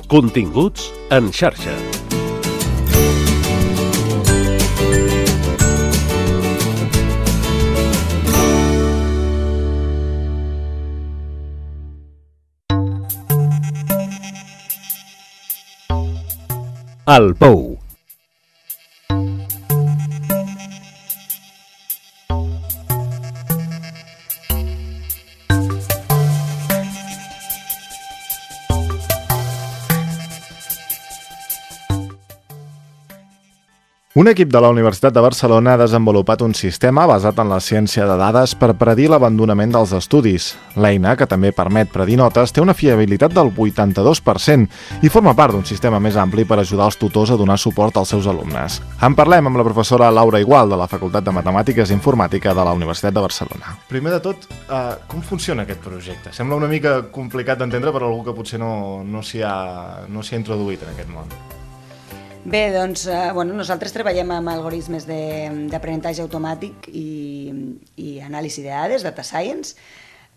Continguts en xarxa. El Pou. Un equip de la Universitat de Barcelona ha desenvolupat un sistema basat en la ciència de dades per predir l'abandonament dels estudis. L'eina, que també permet predir notes, té una fiabilitat del 82% i forma part d'un sistema més ampli per ajudar els tutors a donar suport als seus alumnes. En parlem amb la professora Laura Igual, de la Facultat de Matemàtiques i Informàtica de la Universitat de Barcelona. Primer de tot, com funciona aquest projecte? Sembla una mica complicat d'entendre per a algú que potser no s'hi ha introduït en aquest món. Bé, doncs, nosaltres treballem amb algoritmes d'aprenentatge automàtic i anàlisi de dades, data science,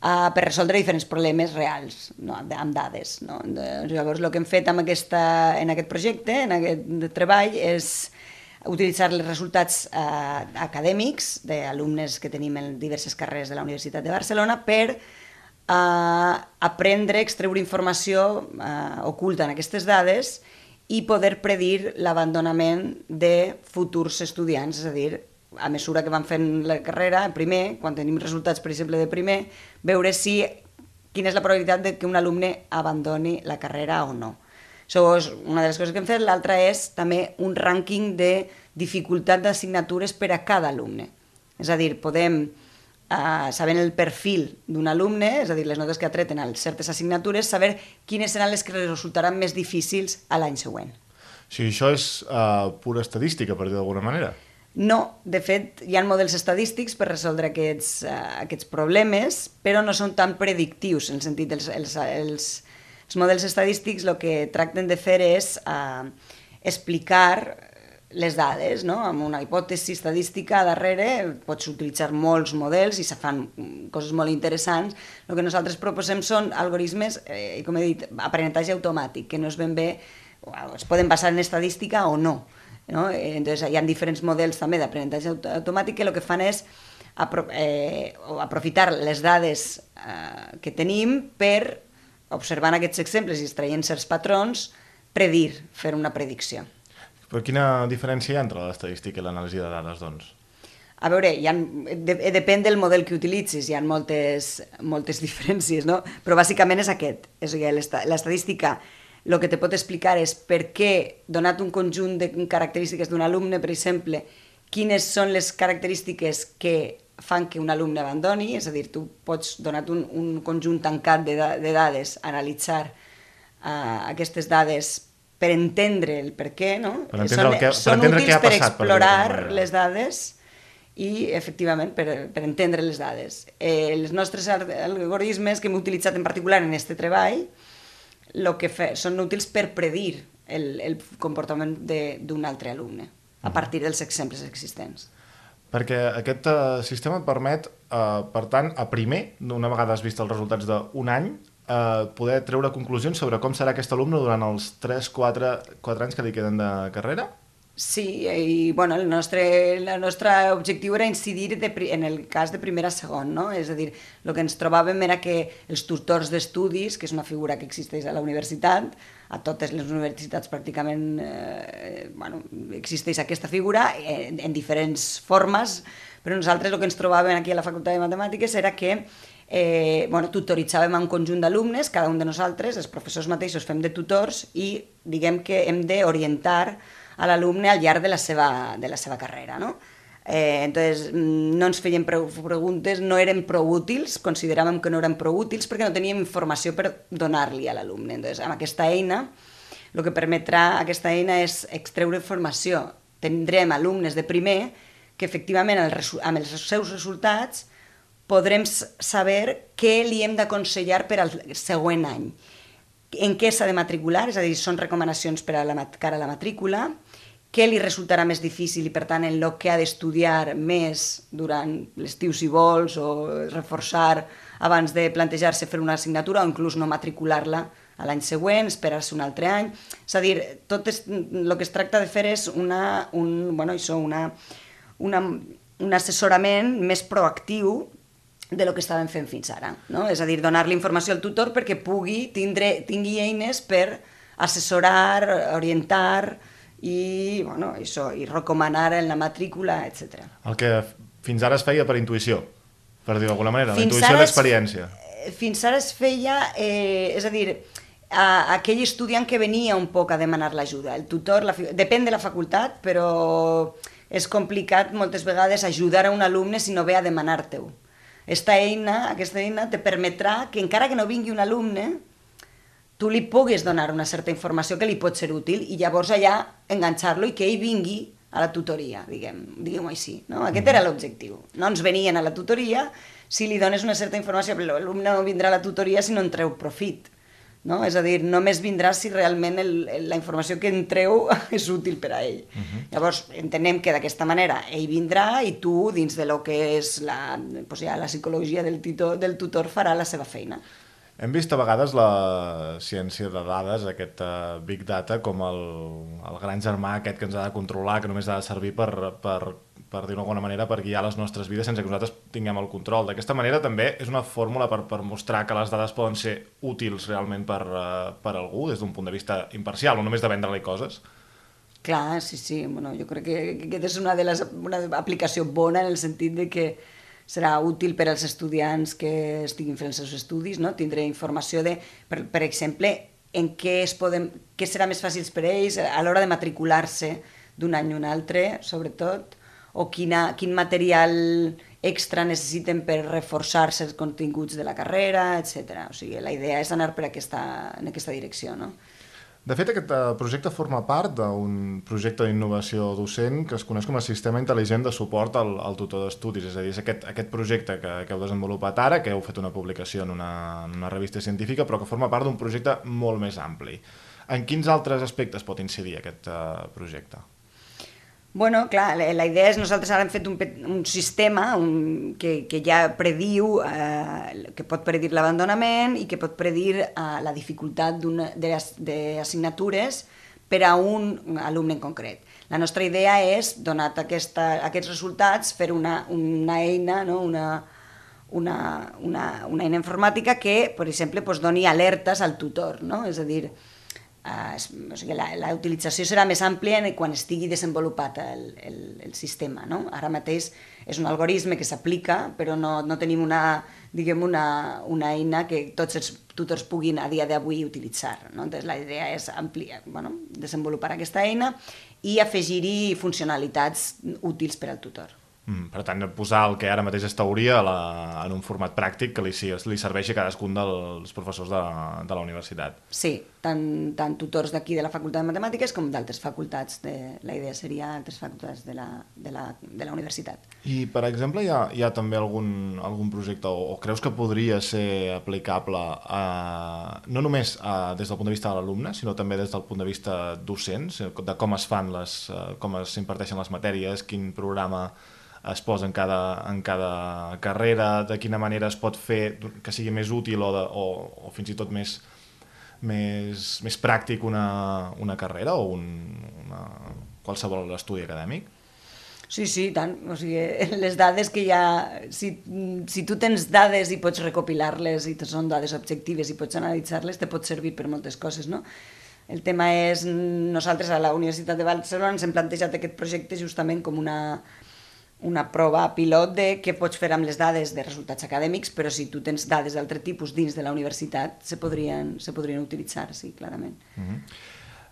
per resoldre diferents problemes reals, amb dades. Llavors, el que hem fet en aquest projecte, en aquest treball, és utilitzar els resultats acadèmics d'alumnes que tenim en diverses carreres de la Universitat de Barcelona per aprendre, extreure informació oculta en aquestes dades i poder predir l'abandonament de futurs estudiants, és a dir, a mesura que van fent la carrera, primer, quan tenim resultats, per exemple, de primer, veure quina és la probabilitat de que un alumne abandoni la carrera o no. Això és una de les coses que hem fet. L'altra és també un rànquing de dificultat d'assignatures per a cada alumne. És a dir, podem, sabent el perfil d'un alumne, és a dir, les notes que ha tret en certes assignatures, saber quines seran les que resultaran més difícils a l'any següent. Sí, això és pura estadística, per dir d'alguna manera. No, de fet, hi ha models estadístics per resoldre aquests problemes, però no són tan predictius, en el sentit els models estadístics el que tracten de fer és explicar les dades, no? Amb una hipòtesi estadística darrere pots utilitzar molts models i se fan coses molt interessants. El que nosaltres proposem són algoritmes, com he dit, aprenentatge automàtic, que no es ben bé, es poden basar en estadística o no. Entonces, hi ha diferents models també d'aprenentatge automàtic que el que fan és aprofitar les dades que tenim per, observant aquests exemples i extraient certs patrons, fer una predicció. Però quina diferència hi ha entre l'estadística i l'anàlisi de dades, doncs? A veure, depèn del model que utilitzis, hi ha moltes diferències, no? Però bàsicament és aquest. L'estadística el que te pot explicar és per què, donat un conjunt de característiques d'un alumne, per exemple, quines són les característiques que fan que un alumne abandoni, és a dir, tu pots, donat un conjunt tancat de dades, analitzar aquestes dades per entendre el per què, no? Són útils per explorar les dades i, efectivament, per entendre les dades. Els nostres algoritmes que hem utilitzat en particular en aquest treball són útils per predir el comportament d'un altre alumne a partir dels exemples existents. Perquè aquest sistema et permet, per tant, a primer, una vegada has vist els resultats d'un any, poder treure conclusions sobre com serà aquest alumne durant els 3-4 anys que li queden de carrera? Sí, i el nostre objectiu era incidir en el cas de primer a segon, no? És a dir, el que ens trobàvem era que els tutors d'estudis, que és una figura que existeix a la universitat, a totes les universitats pràcticament existeix aquesta figura en diferents formes, però nosaltres el que ens trobàvem aquí a la Facultat de Matemàtiques era que tutoritzàvem un conjunt d'alumnes, cada un de nosaltres, els professors mateixos fem de tutors i diguem que hem d'orientar a l'alumne al llarg de la seva carrera, no? Entonces, no ens feien preguntes, no eren prou útils, consideràvem que no eren prou útils perquè no teníem informació per donar-li a l'alumne. Entonces, amb aquesta eina, el que permetrà aquesta eina és extreure informació. Tindrem alumnes de primer que efectivament amb els seus resultats podrem saber què li hem d'aconsellar per al següent any. En què s'ha de matricular, és a dir, són recomanacions per a cara a la matrícula, què li resultarà més difícil i, per tant, en el que ha d'estudiar més durant l'estiu si vols o reforçar abans de plantejar-se fer una assignatura o inclús no matricular-la a l'any següent, esperar-se un altre any. És a dir, el que es tracta de fer és un assessorament més proactiu de lo que estàvem fent fins ara, no? És a dir, donar-li informació al tutor perquè tingui eines per assessorar, orientar i recomanar en la matrícula, etc. El que fins ara es feia per intuïció, per dir-ho d'alguna manera, la intuïció i l'experiència. Fins ara es feia, és a dir, aquell estudiant que venia un poc a demanar l'ajuda. El tutor, depèn de la facultat, però és complicat moltes vegades ajudar a un alumne si no ve a demanar-te-ho. Aquesta eina te permetrà que encara que no vingui un alumne, tu li puguis donar una certa informació que li pot ser útil i llavors allà enganxar-lo i que ell vingui a la tutoria, diguem-ho així. No? Aquest era l'objectiu. No ens venien a la tutoria si li dones una certa informació, però l'alumne no vindrà a la tutoria si no en treu profit. No? És a dir, només vindrà si realment la informació que en treu és útil per a ell. Llavors, entenem que d'aquesta manera ell vindrà i tu, dins de lo que és la psicologia del tutor, farà la seva feina. Hem vist a vegades la ciència de dades, aquest Big Data, com el gran germà aquest que ens ha de controlar, que només ha de servir per dir-ho d'alguna manera, per guiar les nostres vides sense que nosaltres tinguem el control. D'aquesta manera també és una fórmula per mostrar que les dades poden ser útils realment per algú, des d'un punt de vista imparcial, no només de vendre-li coses. Clar, sí. Bueno, jo crec que aquesta és una aplicació bona en el sentit de que serà útil per als estudiants que estiguin fent els seus estudis, no? Tindré informació de, per exemple, en què serà més fàcil per ells a l'hora de matricular-se d'un any a un altre, sobretot, o quin material extra necessiten per reforçar-se els continguts de la carrera, etc. O sigui, la idea és anar en aquesta direcció, no? De fet, aquest projecte forma part d'un projecte d'innovació docent que es coneix com a Sistema Intel·ligent de Suport al Tutor d'Estudis. És a dir, és aquest projecte que heu desenvolupat ara, que heu fet una publicació en una revista científica, però que forma part d'un projecte molt més ampli. En quins altres aspectes pot incidir aquest projecte? Bueno, clar, la idea és, nosaltres ara hem fet un sistema que ja prediu, que pot predir l'abandonament i que pot predir la dificultat d'assignatures per a un alumne en concret. La nostra idea és, donat aquests resultats, fer una eina, no? una eina informàtica que, per exemple, doni alertes al tutor, no? És a dir, la utilització serà més àmplia quan estigui desenvolupat el sistema, no? Ara mateix és un algoritme que s'aplica, però no tenim una eina que tots els tutors puguin a dia d'avui utilitzar, no? Entonces, la idea és desenvolupar aquesta eina i afegir-hi funcionalitats útils per al tutor. Per tant, posar el que ara mateix és teoria en un format pràctic que li serveixi a cadascun dels professors de la universitat. Sí, tant tutors d'aquí de la Facultat de Matemàtiques com d'altres facultats. La idea seria altres facultats de la universitat. I, per exemple, hi ha també algun projecte o creus que podria ser aplicable no només des del punt de vista de l'alumne, sinó també des del punt de vista docent, de com s'imparteixen les matèries, quin programa es posa en cada carrera, de quina manera es pot fer que sigui més útil o fins i tot més pràctic una carrera o qualsevol estudi acadèmic? Sí, tant. O sigui, les dades que hi ha... Si tu tens dades i pots recopilar-les i són dades objectives i pots analitzar-les, te pot servir per moltes coses, no? El tema és... Nosaltres a la Universitat de Barcelona ens hem plantejat aquest projecte justament com una prova pilot de què pots fer amb les dades de resultats acadèmics, però si tu tens dades d'altre tipus dins de la universitat, se podrien utilitzar, sí, clarament.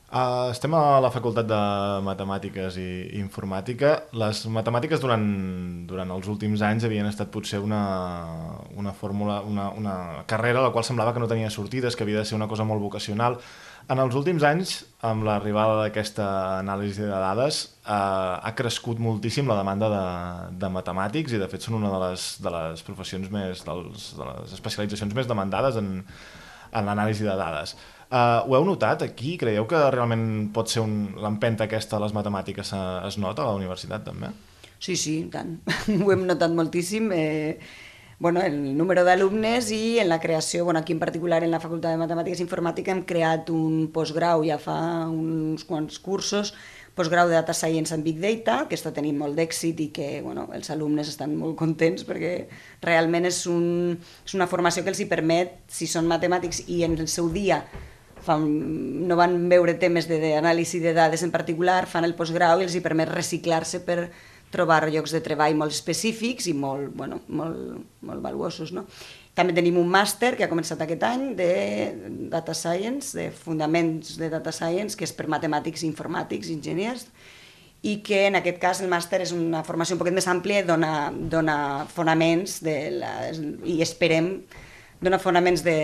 Estem a la Facultat de Matemàtiques i Informàtica. Les matemàtiques durant els últims anys havien estat potser una fórmula, una carrera a la qual semblava que no tenia sortides, que havia de ser una cosa molt vocacional. En els últims anys, amb l'arribada d'aquesta anàlisi de dades, ha crescut moltíssim la demanda de matemàtics i, de fet, són una de les professions de les especialitzacions més demandades en l'anàlisi de dades. Ho heu notat aquí? Creieu que realment pot ser l'empenta aquesta de les matemàtiques es nota a la universitat, també? Sí, tant. Ho hem notat moltíssim. bueno, el número d'alumnes i en la creació, bueno, aquí en particular en la Facultat de Matemàtiques i Informàtica hem creat un postgrau ja fa uns quants cursos, postgrau de Data Science and Big Data, que està tenint molt d'èxit i que bueno, els alumnes estan molt contents perquè realment és una formació que els hi permet, si són matemàtics i en el seu dia no van veure temes d'anàlisi de dades en particular, fan el postgrau i els hi permet reciclar-se per trobar llocs de treball molt específics i molt valuosos. No? També tenim un màster que ha començat aquest any de Data Science, de Fundaments de Data Science, que és per matemàtics, informàtics, enginyers, i que en aquest cas el màster és una formació un poquet més àmplia i dona fonaments i esperem donar fonaments de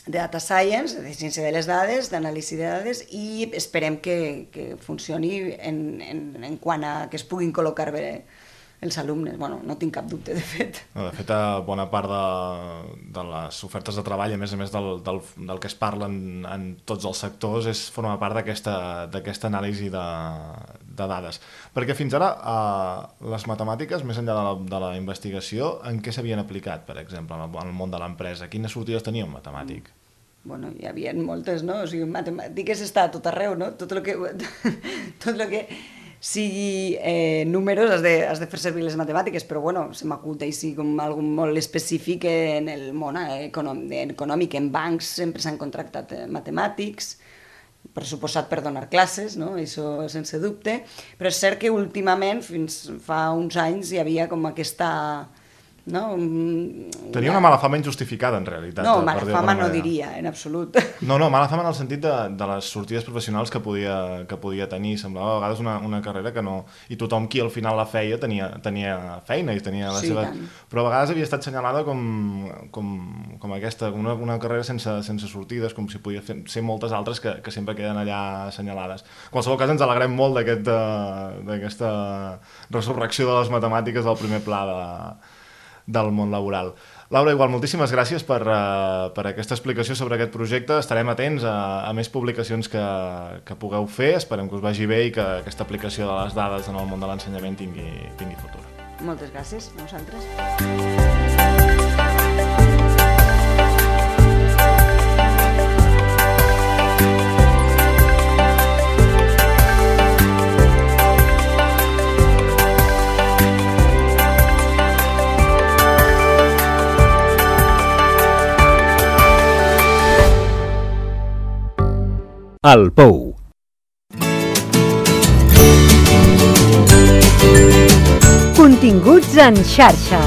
Data Science, de ciència de les dades, d'anàlisi de dades, i esperem que funcioni en quant a que es puguin col·locar bé els alumnes. Bueno, no tinc cap dubte, de fet. De fet, bona part de les ofertes de treball, a més del que es parla en tots els sectors, forma part d'aquesta anàlisi de dades. Perquè fins ara les matemàtiques, més enllà de la investigació, en què s'havien aplicat, per exemple, en el món de l'empresa? Quines sortides tenia un matemàtic? Bueno, hi havia moltes, no? O sigui, matemàtiques està a tot arreu, no? Tot el que sigui números has de fer servir les matemàtiques, però bueno, se m'acut així com algo molt específic en el món econòmic. En bancs sempre s'han contractat matemàtics, pressuposat per donar classes, no? Això sense dubte, però és cert que últimament, fins fa uns anys, hi havia com aquesta... No? Tenia una mala fama injustificada, en realitat. No, mala fama no diria, en absolut. No, mala fama en el sentit de les sortides professionals que podia tenir. Semblava a vegades una carrera que no... I tothom qui al final la feia tenia feina i tenia la seva... Però a vegades havia estat senyalada com aquesta, una carrera sense sortides, com si podia ser moltes altres que sempre queden allà assenyalades. En qualsevol cas, ens alegrem molt d'aquesta resurrecció de les matemàtiques del primer pla del món laboral. Laura, igual, moltíssimes gràcies per aquesta explicació sobre aquest projecte. Estarem atents a més publicacions que pugueu fer. Esperem que us vagi bé i que aquesta aplicació de les dades en el món de l'ensenyament tingui futur. Moltes gràcies a vosaltres. El Pou. Continguts en xarxa.